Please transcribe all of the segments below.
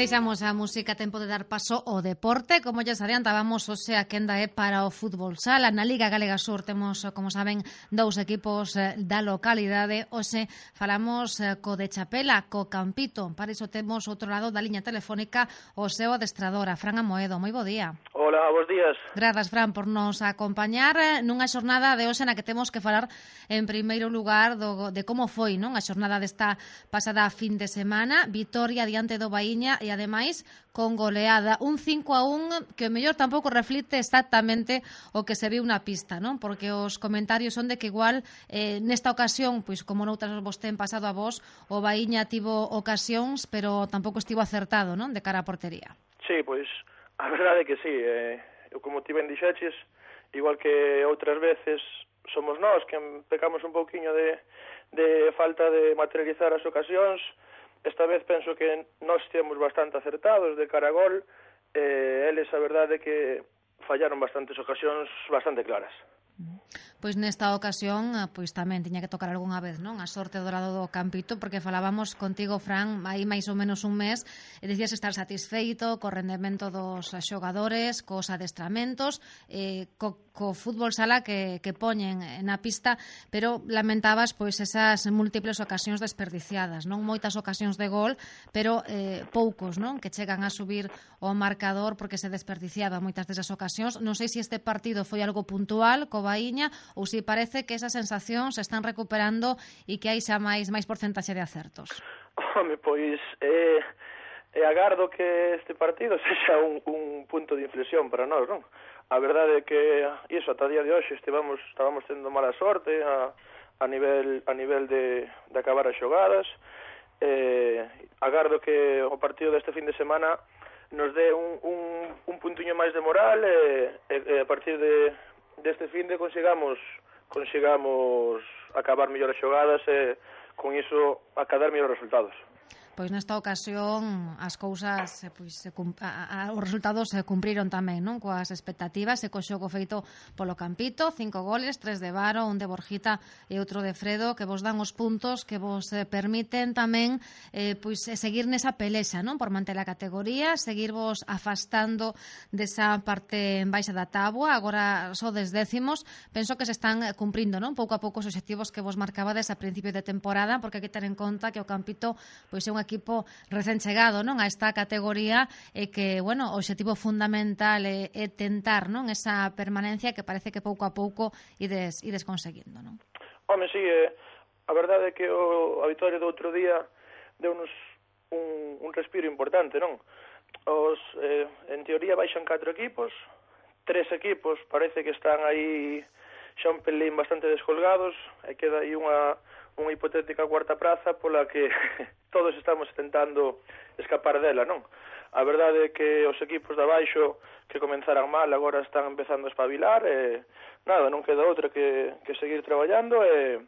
Deixamos a música, tempo de dar paso ao deporte. Como xa adiantábamos, hoxe a quenda é para o fútbol sala. Na Liga Galega Sur temos, como saben, dous equipos da localidade. Hoxe falamos co de Chapela, co Campito. Para iso temos outro lado da liña telefónica o seu adestrador, a Fran Amoedo. Moi bo día. Hola, bons días. Grazas, Fran, por nos acompañar nunha xornada de hoxe na que temos que falar en primeiro lugar de como foi, non? A xornada desta pasada fin de semana, vitoria diante do Baíña e ademais con goleada, un 5-1 que o mellor tampouco reflite exactamente o que se viu na pista, non? Porque os comentarios son de que igual nesta ocasión, pois como noutras vos ten pasado a vos, o Baíña tivo ocasións, pero tampouco estivo acertado, non? De cara á portería. Sí, pois a verdade é que sí, como ti ben dixeches, igual que outras veces somos nós que pecamos un pouquiño de falta de materializar as ocasións. Esta vez penso que nós temos bastante acertados de cara a gol, eles a verdade é que fallaron bastantes ocasións bastante claras. Pois nesta ocasión, pois tamén tiña que tocar algunha vez, non? A sorte do lado do Campito, porque falábamos contigo, Fran, aí máis ou menos un mes, e dicías estar satisfeito co rendemento dos xogadores, cos adestramentos, co fútbol sala que poñen na pista, pero lamentabas pois esas múltiples ocasións desperdiciadas, non? Moitas ocasións de gol, pero poucos, non? Que chegan a subir o marcador porque se desperdiciaba moitas desas ocasións. Non sei se este partido foi algo puntual co Baíña ou se parece que esas sensacións se están recuperando e que hai xa máis porcentaxe de acertos. Home, pois agardo que este partido sexa un punto de inflexión para nós, non? A verdade é que iso, ata día de hoxe estábamos tendo mala sorte a nivel de acabar as xogadas. Agardo que o partido deste fin de semana nos dé un puntiño máis de moral e a partir deste fin de consigamos acabar mellores xogadas e con iso acadar mellores resultados. Pois nesta ocasión as cousas os resultados se cumpriron tamén, non? Coas expectativas e co xogo feito polo Campito, 5 goles, 3 de Varo, un de Borjita e outro de Fredo, que vos dan os puntos que vos permiten tamén seguir nesa pelexa, non? Por manter a categoría, seguirvos afastando desa parte en baixa da táboa. Agora sodes décimos, penso que se están cumprindo, non? Pouco a pouco os obxectivos que vos marcabades a principio de temporada, porque hai que ter en conta que o Campito pois é un equipo recén chegado, non, a esta categoría e que, bueno, o obxectivo fundamental é tentar, non, esa permanencia que parece que pouco a pouco ides conseguindo, non? Home, sí, a verdade é que a vitória do outro día deu-nos un respiro importante, non? En teoría baixan 4 equipos, 3 equipos parece que están aí xa un pelín bastante descolgados, e queda aí unha hipotética cuarta praza pola que todos estamos tentando escapar dela, non? A verdade é que os equipos de abaixo que comenzaran mal agora están empezando a espabilar e nada, non queda outra que seguir traballando e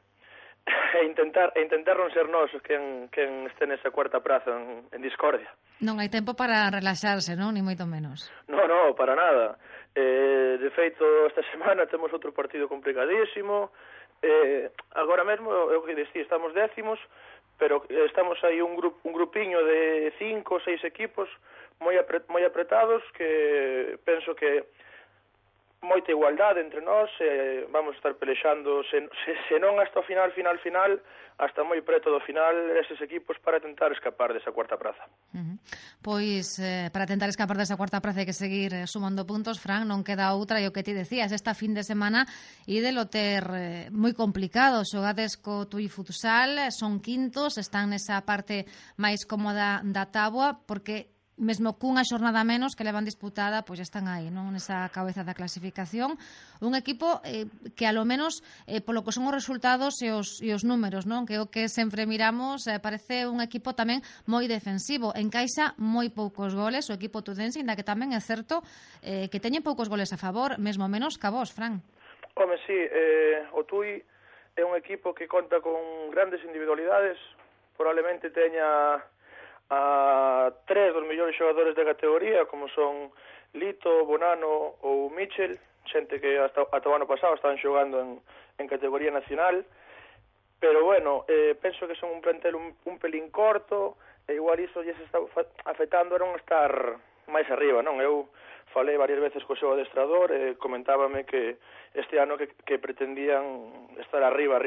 intentar non ser nós quen este nesa cuarta praza en discordia. Non hai tempo para relaxarse, non? Ni moito menos. No, para nada. De feito, esta semana temos outro partido complicadísimo. Agora mesmo, eu que dicía, estamos décimos, pero estamos aí un grupiño de 5 ou 6 equipos moi apretados que penso que moita igualdade entre nós, vamos estar pelexando se non hasta o final, hasta moi preto do final eses equipos para tentar escapar desa cuarta praza. Pois, para tentar escapar desa cuarta praza hai que seguir sumando puntos, Fran, non queda outra, e o que ti decías, esta fin de semana ídelo ter moi complicado, xogades co Tui Futsal, son quintos, están nesa parte máis cómoda da táboa, porque mesmo cunha xornada menos que levan disputada, pois están aí, non, nesa cabeza da clasificación. Un equipo que a lo menos polo que son os resultados e os números, non, que o que sempre miramos, parece un equipo tamén moi defensivo, encaixa moi poucos goles o equipo tudense, inda que tamén é certo que teñen poucos goles a favor, mesmo menos que a vos, Fran. Home, sí, o Tui é un equipo que conta con grandes individualidades, probablemente teña a 3 dos mellores xogadores da categoría, como son Lito, Bonano ou Michel, xente que hasta o ano pasado estaban xogando en categoría nacional, pero bueno, penso que son un plantel un pelín corto, e igual iso lles está afectando a non estar máis arriba, non? Eu falei varias veces co seu adestrador e comentábame que este ano que pretendían estar arriba.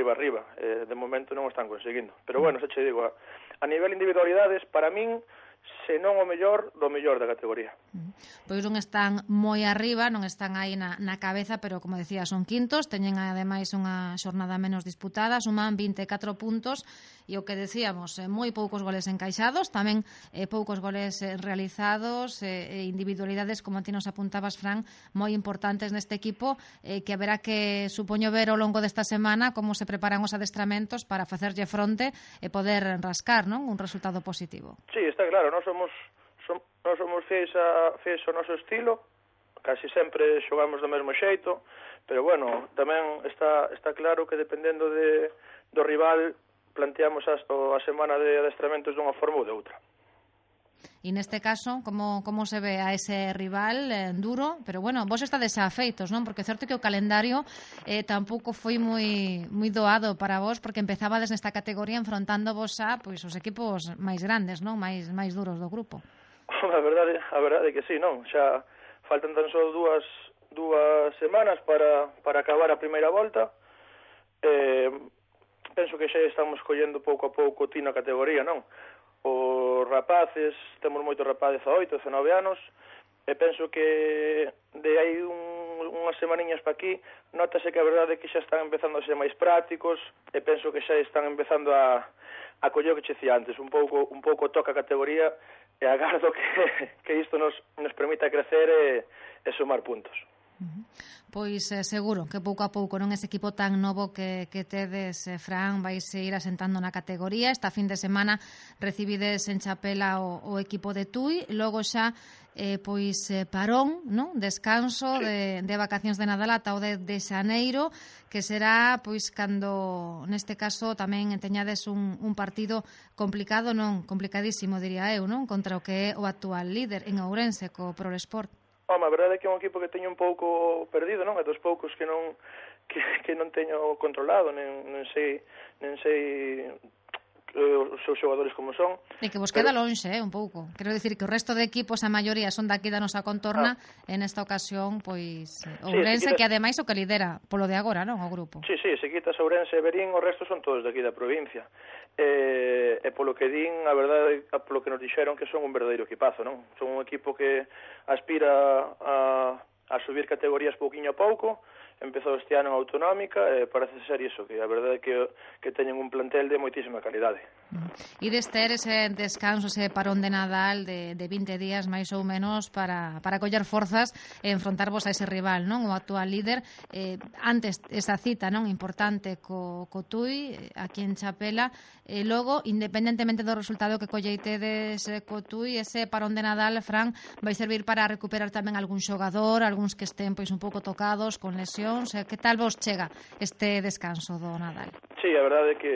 De momento non o están conseguindo. Pero bueno, xa che digo, a nivel individualidades, para min, se non o mellor, do mellor da categoría. Pois non están moi arriba, non están aí na cabeza, pero como decía, son quintos, teñen ademais unha xornada menos disputada, suman 24 puntos e o que decíamos, moi poucos goles encaixados, tamén poucos goles realizados e individualidades, como ti nos apuntabas, Fran, moi importantes neste equipo, que haberá que, supoño, ver ao longo desta semana como se preparan os adestramentos para facerlle fronte e poder rascar, non, un resultado positivo. Sí, está claro, nós somos fiéis ao noso estilo, casi sempre xogamos do mesmo xeito, pero bueno, tamén está claro que dependendo do rival planteamos a semana de adestramentos dunha forma ou de outra. E neste caso, como se ve a ese rival duro, pero bueno, vos estades afeitos, non? Porque é certo que o calendario tampouco foi moi doado para vos, porque empezabades nesta categoría enfrontándovos a pois os equipos máis grandes, non? máis duros do grupo. A verdade é que sí, non? Xa faltan tan só dúas semanas para acabar a primeira volta. Penso que xa estamos collendo pouco a pouco tino a categoría, non? Os rapaces, temos moitos rapaces a 8, 19 anos, e penso que de aí unhas semaniñas para aquí notase que a verdade é que xa están empezando a ser máis prácticos e penso que xa están empezando a coller o que che dicía antes, un pouco toca a categoría e agardo que isto nos permita crecer e sumar puntos. Pois seguro que pouco a pouco non ese equipo tan novo que tedes, Fran, vais ir asentando na categoría. Esta fin de semana recibides en Chapela o equipo de Tui, logo xa parón, non? Descanso sí. de vacacións de Nadal ata o de xaneiro, que será pois cando neste caso tamén teñades un partido complicado, non, complicadísimo diría eu, non? Contra o que é o actual líder en Ourense co Prolesport. A verdade é que é un equipo que teño un pouco perdido, non? É dos poucos que non teño controlado, nen sei os seus xogadores como son. E que vos queda lonxe, un pouco. Quero dicir que o resto de equipos, a maioría, son daqui da nosa contorna, en esta ocasión, pois, Ourense, que ademais o que lidera polo de agora, non, o grupo. Sí, se quitas Ourense e Verín, o resto son todos daqui da provincia. E polo que din, a verdade, polo que nos dixeron, que son un verdadeiro equipazo, non? Son un equipo que aspira a subir categorías pouquiño a pouco. Empezou este ano en autonómica e parece ser iso, que a verdade é que teñen un plantel de moitísima calidade. E ter ese descanso, ese parón de Nadal de 20 días máis ou menos para coller forzas e enfrontarvos a ese rival, non? O actual líder. Antes esa cita, non, importante co Tui aquí en Chapela, e logo, independentemente do resultado que colleitedes co Tui, ese parón de Nadal, Fran, vai servir para recuperar tamén algún xogador, algúns que estén pois un pouco tocados con lesión. Que tal vos chega este descanso do Nadal? Sí, a verdade é que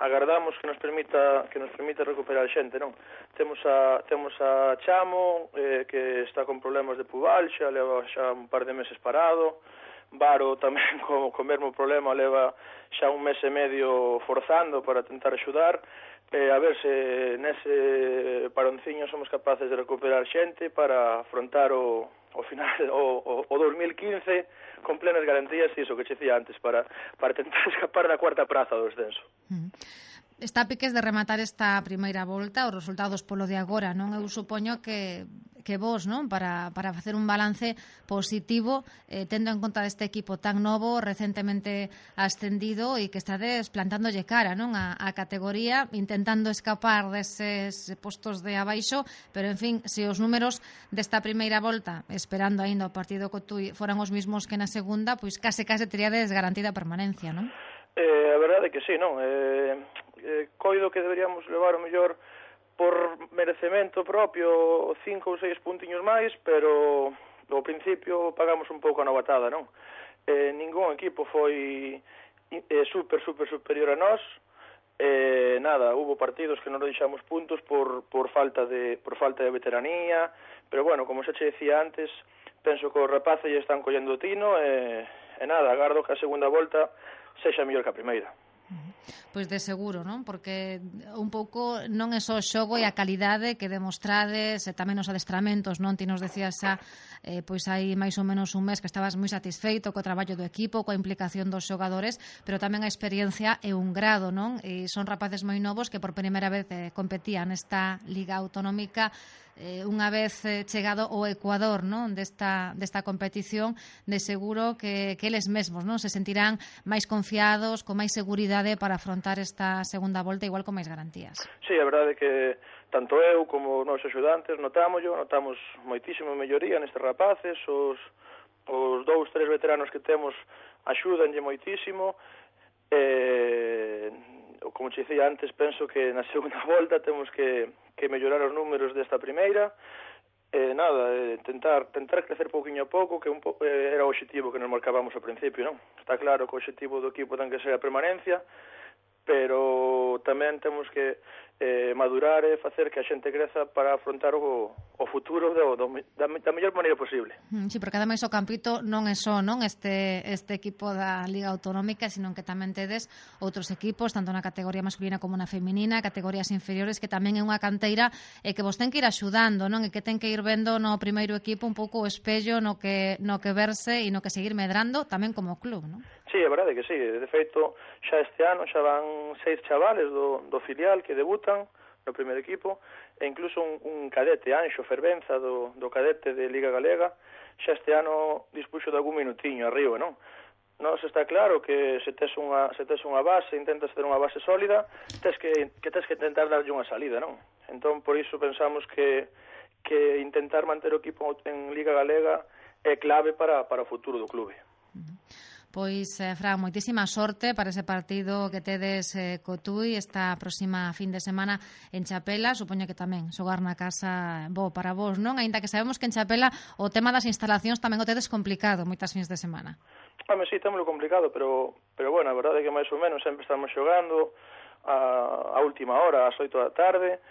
agardamos que nos permita recuperar xente, non? Temos a Chamo, que está con problemas de pubalgia, leva xa un par de meses parado. Varo tamén co mesmo problema, leva xa un mes e medio forzando para tentar axudar. A ver se nese paronciño somos capaces de recuperar xente para afrontar o final o 2015 con plenas garantías, e iso que che dicía antes, para tentar escapar da cuarta praza do descenso. Está a piques de rematar esta primeira volta, os resultados polo de agora, non? Eu supoño que vos, non, para facer un balance positivo, tendo en conta deste equipo tan novo, recentemente ascendido, e que estades plantándolle cara, non, a categoría, intentando escapar deses postos de abaixo, pero en fin, se os números desta primeira volta, esperando aínda o partido co Tui, foran os mismos que na segunda, pois case teríades garantida permanencia, non? A verdade é que sí, non? Coido que deberíamos levar o mellor por merecemento propio 5 ou 6 puntiños máis, pero ao principio pagamos un pouco a novatada, non? Ningún equipo foi super superior a nós. Nada, hubo partidos que non deixamos puntos por falta de veteranía, pero bueno, como xa che decía antes, penso que os rapaces ya están collendo o tino e nada, agardo que a segunda volta sexa mellor que a primeira. Pois de seguro, non? Porque un pouco non é só o xogo e a calidade que demostrades e tamén os adestramentos, non? Ti nos decías xa, pois hai máis ou menos un mes que estabas moi satisfeito co traballo do equipo, coa implicación dos xogadores, pero tamén a experiencia e un grado, non? E son rapaces moi novos que por primeira vez competían nesta Liga Autonómica unha vez chegado ao Ecuador, non? desta competición, de seguro que eles mesmos, non? Se sentirán máis confiados, con máis seguridade para afrontar esta segunda volta igual con máis garantías. Sí, a verdade é que tanto eu como os axudantes notamos moitísimo melloría nestes rapaces, os 2, 3 veteranos que temos axúdanlle moitísimo. Como te dicía antes, penso que na segunda volta temos que mellorar os números desta primeira. Tentar crecer pouquinho a pouco, que era o obxectivo que nos marcábamos ao principio, non? Está claro que o obxectivo do equipo ten que ser a permanencia, pero tamén temos que madurar e facer que a xente creza para afrontar o futuro da mellor maneira posible. Sí, porque ademais o Campito non é só, non, este equipo da Liga Autonómica, sino que tamén tedes outros equipos, tanto na categoría masculina como na feminina, categorías inferiores, que tamén é unha canteira e que vos ten que ir axudando, non? E que ten que ir vendo no primeiro equipo un pouco o espello no que verse e no que seguir medrando tamén como club, non? Sí, é verdade que sí. De feito, xa este ano xa van 6 chavales do filial que debutan no primeiro equipo, e incluso un cadete, Anxo Fervenza, do cadete de Liga Galega, xa este ano dispuxo de algún minutiño arriba, non? Nos está claro que se tes unha base, intentas ter unha base sólida, tes que intentar darlle unha salida, non? Entón, por iso pensamos que intentar manter o equipo en Liga Galega é clave para o futuro do clube. Pois, Fran, moitísima sorte para ese partido que tedes co Tui esta próxima fin de semana en Chapela. Supoño que tamén xogar na casa bo para vos, non? Aínda que sabemos que en Chapela o tema das instalacións tamén o tedes complicado moitas fins de semana. Sí, témolo complicado, pero bueno, a verdade é que máis ou menos sempre estamos xogando a última hora, ás 8 da tarde.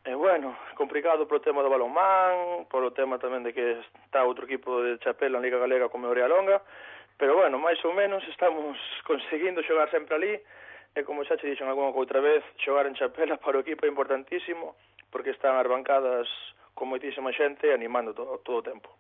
Bueno, complicado polo tema do balonmán, polo tema tamén de que está outro equipo de Chapela en Liga Galega como Orea Longa. Pero bueno, máis ou menos estamos conseguindo xogar sempre ali, e como xa te dixen algunha outra vez, xogar en Chapela para o equipo é importantísimo, porque están arbancadas con moitísima xente animando todo o tempo.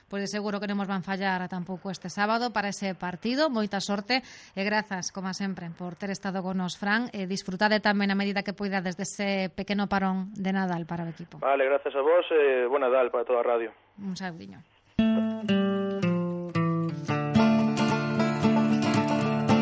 Pois de seguro que non nos van fallar tampouco este sábado para ese partido. Moita sorte e grazas, como sempre, por ter estado con nos, Fran, e disfrutade tamén a medida que poidades dese pequeno parón de Nadal para o equipo. Vale, grazas a vos e bo Nadal para toda a radio. Un saudiño.